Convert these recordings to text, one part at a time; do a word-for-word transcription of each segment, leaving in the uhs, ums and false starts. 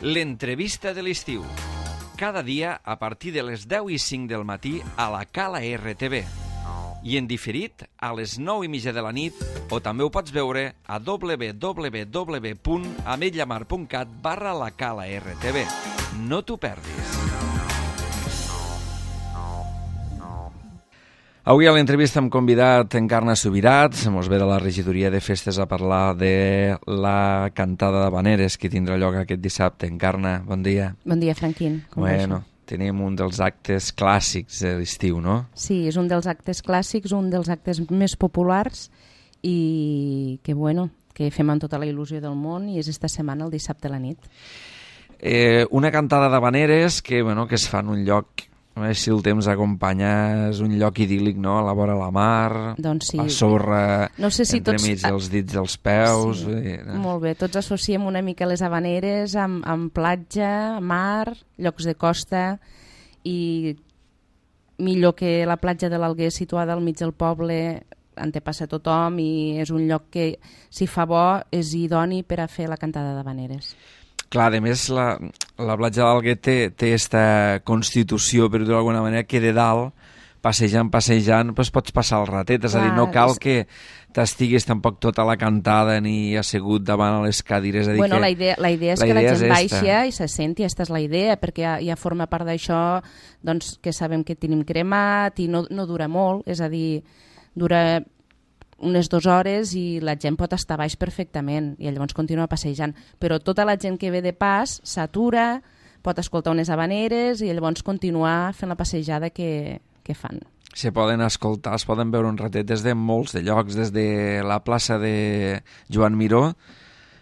L'entrevista de l'estiu. Cada dia a partir de les deu i cinc del matí a la Cala R T V. I en diferit a les nou i mitja de la nit, o també ho pots veure a w w w punt ametlllamar punt cat barra la Cala R T V. No t'ho perdis. Avui a l'entrevista hem convidat Encarna Subirat, mos ve de la regidoria de festes a parlar de la cantada d'Havaneres que tindrà lloc aquest dissabte. Encarna, bon dia. Bon dia, Franquín. Com bueno, tenim un dels actes clàssics de l'estiu, no? Sí, és un dels actes clàssics, un dels actes més populars i que, bueno, que fem amb tota la il·lusió del món i és esta setmana, el dissabte a la nit. Eh, una cantada d'Havaneres que, bueno, que es fa en un lloc... A veure si el temps acompanya, és un lloc idíl·lic, no?, a la vora la mar, doncs sí. La sorra no sé si entremig tots... dels dits dels peus... Sí, i, no? Molt bé, tots associem una mica les Havaneres amb, amb platja, mar, llocs de costa i millor que la platja de l'Alguer situada al mig del poble en té passa tothom i és un lloc que, si fa bo, és idoni per a fer la cantada d'Havaneres. Clar, a més, la, la platja d'Alguer té, té esta constitució, per dir-ho d'alguna manera, que de dalt, passejant, passejant, doncs pots passar el ratet. És Clar, a dir, no cal és... que t'estiguis tampoc tota la cantada ni assegut davant a les cadires. És a dir bueno, que la idea, la idea és la que idea la gent baixa i se senti, aquesta és la idea, perquè ja, ja forma part d'això, doncs, que sabem que tenim cremat i no, no dura molt, és a dir, dura unes dues hores i la gent pot estar baix perfectament i llavors continua passejant. Però tota la gent que ve de pas s'atura, pot escoltar unes Havaneres i llavors continuar fent la passejada que, que fan. Se poden escoltar, es poden veure un ratet des de molts de llocs, des de la plaça de Joan Miró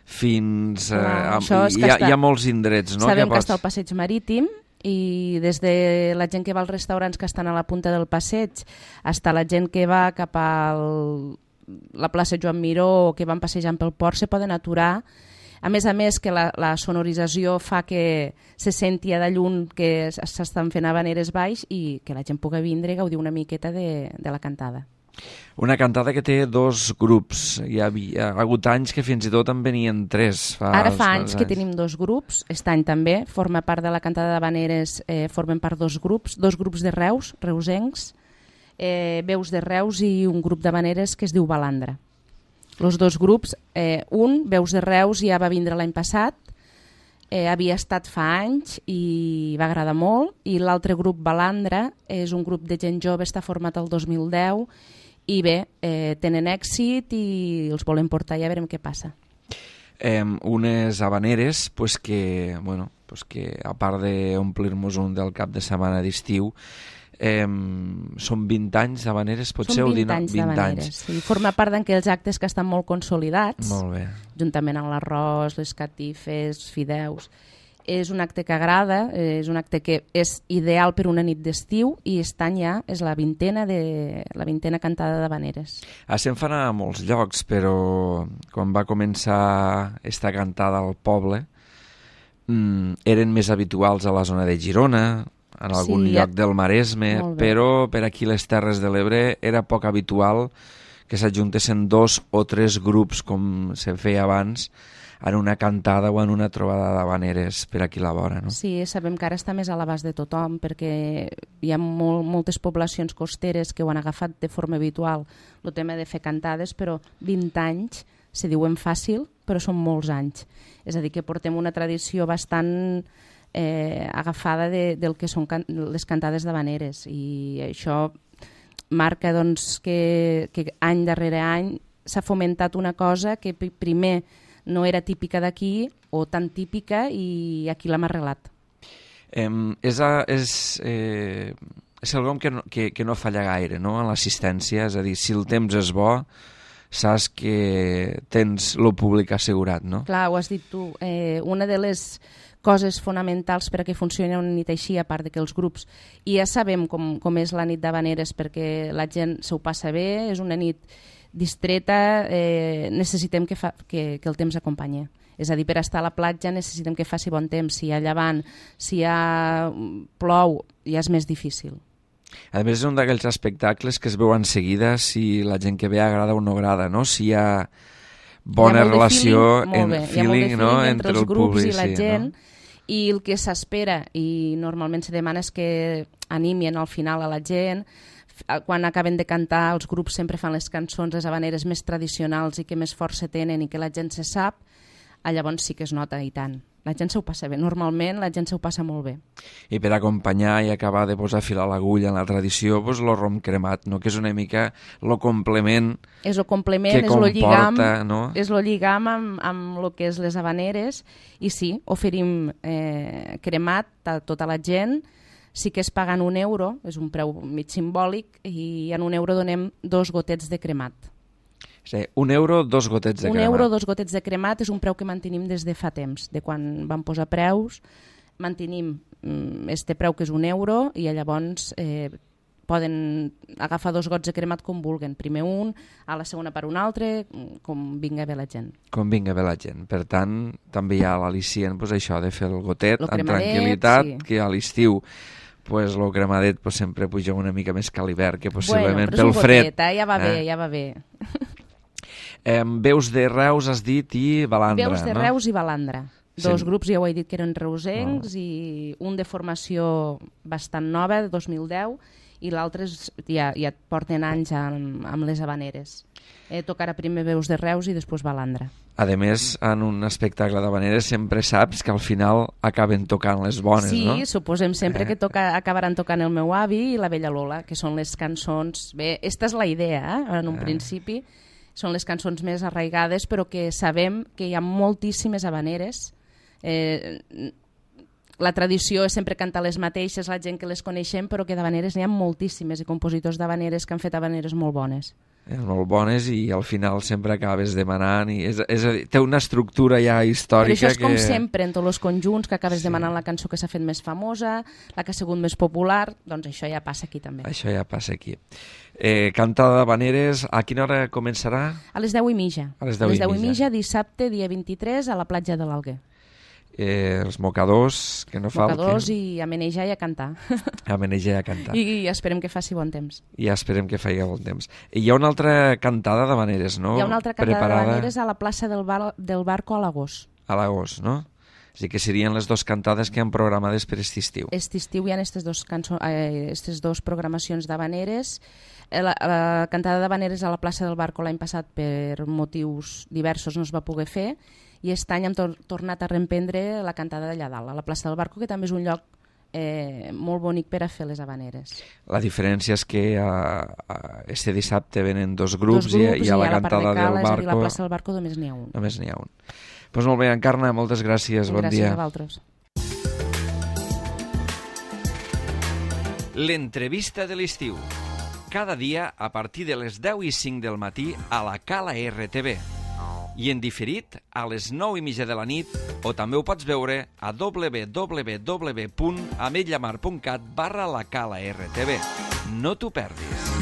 fins... Clar, eh, a, hi, ha, hi ha molts indrets, no? Sabem que, pots... que està el passeig marítim i des de la gent que va als restaurants que estan a la punta del passeig fins a la gent que va cap a la plaça Joan Miró o que van passejant pel port se poden aturar. A més a més que la, la sonorització fa que se senti de lluny que s'estan fent Havaneres baix i que la gent pugui vindre i gaudir una miqueta de, de la cantada. Una cantada que té dos grups. Hi ha, hi ha hagut anys que fins i tot en venien tres. Fa Ara fa anys, anys que tenim dos grups. Aquest any també forma part de la cantada d'Havaneres, eh, formen part dos grups, dos grups de Reus, reusencs, eh, veus de Reus i un grup d'Havaneres que es diu Balandra. Els dos grups, eh, un, veus de Reus, ja va vindre l'any passat, eh, havia estat fa anys i va agradar molt, i l'altre grup, Balandra, és un grup de gent jove, està format el dos mil deu, i bé, eh, tenen èxit i els volem portar, ja veurem què passa. Eh, unes Havaneres pues que, bueno, pues que a part d'omplir-nos un del cap de setmana d'estiu, eh, són vint anys d'Havaneres, potser? Són vint anys d'Havaneres, sí. Forma part d'aquells actes que estan molt consolidats, molt bé. Juntament amb l'arròs, les catifes, fideus. És un acte que agrada, és un acte que és ideal per una nit d'estiu i aquest any ja és la vintena, de, la vintena cantada d'Havaneres. Ah, se'n fan a molts llocs, però quan va començar esta cantada al poble mmm, eren més habituals a la zona de Girona, en algun sí, lloc ja... del Maresme, però per aquí les Terres de l'Ebre era poc habitual que s'ajuntessin dos o tres grups com se feia abans en una cantada o en una trobada d'Havaneres per aquí a la vora, no? Sí, sabem que ara està més a l'abast de tothom perquè hi ha molt, moltes poblacions costeres que ho han agafat de forma habitual el tema de fer cantades, però vint anys se diuen fàcil, però són molts anys. És a dir, que portem una tradició bastant eh, agafada de, del que són can les cantades d'Havaneres i això marca doncs, que, que any darrere any s'ha fomentat una cosa que primer no era típica d'aquí o tan típica i aquí l'hem arreglat. Eh, és a, és, eh, és quelcom que no, que, que no falla gaire, no?, en l'assistència, és a dir, si el temps és bo, saps que tens el públic assegurat, no? Clar, ho has dit tu. Eh, una de les coses fonamentals per a que funcioni una nit així, a part de que els grups, i ja sabem com, com és la nit d'Havaneres perquè la gent s'ho passa bé, és una nit distreta, eh, necessitem que, fa, que, que el temps acompanyi. És a dir, per estar a la platja necessitem que faci bon temps. Si hi ha llevant, si hi ha plou, ja és més difícil. A més, és un d'aquells espectacles que es veuen seguida si la gent que ve agrada o no agrada, no? Si hi ha bona relació, feeling, en feeling, feeling, no? entre, entre els el grups públic, i la sí, gent, no? I el que s'espera, i normalment se demana, és que animien al final a la gent. Quan acaben de cantar, els grups sempre fan les cançons, les habaneres més tradicionals i que més força tenen i que la gent se sap, llavors sí que es nota i tant. La gent s'ho passa bé, normalment la gent s'ho passa molt bé. I per acompanyar i acabar de posar fil a l'agulla en la tradició, doncs el rom cremat, no? Que és una mica el complement, és el complement que és comporta, lo lligam, no? És el lligam amb, amb el que és les habaneres, i sí, oferim eh, cremat a tota la gent. Sí que es paguen un euro, és un preu mig simbòlic, i en un euro donem dos gotets de cremat. Sí, un euro, dos gotets de un cremat. Un euro, dos gotets de cremat és un preu que mantenim des de fa temps. De quan vam posar preus, mantenim este preu que és un euro i llavors eh, poden agafar dos gots de cremat com vulguen. Primer un, a la segona per un altre, com vinga bé la gent. Com vinga bé la gent. Per tant, també hi ha l'al·licient, pues, això de fer el gotet lo amb cremadet, tranquil·litat, sí. Que a l'estiu pues, el cremadet pues, sempre puja una mica més que a l'hivern, que possiblement bueno, pel fred. Gotet, eh? Ja va eh? bé, ja va bé. Eh, veus de Reus, has dit, i Balandra, Veus de no? Reus i Balandra. Dos Sí. grups, ja ho he dit, que eren reusencs, oh. i un de formació bastant nova, de dos mil deu, i l'altre ja, ja porten anys amb, amb les habaneres. Eh, tocarà primer Veus de Reus i després Balandra. A més, en un espectacle d'habaneres sempre saps que al final acaben tocant les bones, sí, no? Sí, suposem sempre eh. que toca, acabaran tocant el meu avi i la vella Lola, que són les cançons... Bé, esta és la idea, eh? En un eh. principi. Són les cançons més arraigades, però que sabem que hi ha moltíssimes habaneres. Eh, la tradició és sempre cantar les mateixes, la gent que les coneixem, però que d'habaneres n'hi ha moltíssimes, i compositors d'habaneres que han fet habaneres molt bones. Eh, molt bones, i al final sempre acabes demanant, i és, és a dir, té una estructura ja històrica. Però això és que... com sempre, en tots els conjunts, que acabes sí. demanant la cançó que s'ha fet més famosa, la que ha sigut més popular, doncs això ja passa aquí també. Això ja passa aquí. Eh, cantada d'habaneres, a quina hora començarà? A les deu i mitja. A les deu, a les deu i i mitja, dissabte, dia vint-i-tres, a la platja de l'Alguer. Eh, els mocadors, que no falten. Mocadors i a menejar i a cantar. A menejar i a cantar. I, I esperem que faci bon temps. I esperem que faci bon temps. I hi ha una altra cantada d'habaneres, no? Hi ha una altra cantada Preparada... d'habaneres a la plaça del, bar, del Barco a l'agost. A l'agost, no? O sigui que serien les dues cantades que han programades per aquest estiu. Aquest estiu hi ha aquestes dues, cançó... eh, dues programacions d'habaneres. La, la cantada d'habaneres a la plaça del Barco l'any passat per motius diversos no es va poder fer, i aquest any hem tor tornat a reemprendre la cantada d'allà dalt, a la plaça del Barco, que també és un lloc eh, molt bonic per a fer les habaneres. La diferència és que a, a este dissabte venen dos grups, dos grups i, i a la i a cantada la del Barco... És a dir, la plaça del Barco només n'hi ha un. Només n'hi ha un. Doncs pues molt bé, Encarna, moltes gràcies, bon gràcies dia. Gràcies a vosaltres. L'entrevista de l'estiu. Cada dia a partir de les deu i cinc del matí a la Cala R T V. I en diferit a les nou i mitja de la nit, o també ho pots veure a w w w punt ametlla mar punt cat barra la Cala R T V. No t'ho perdis.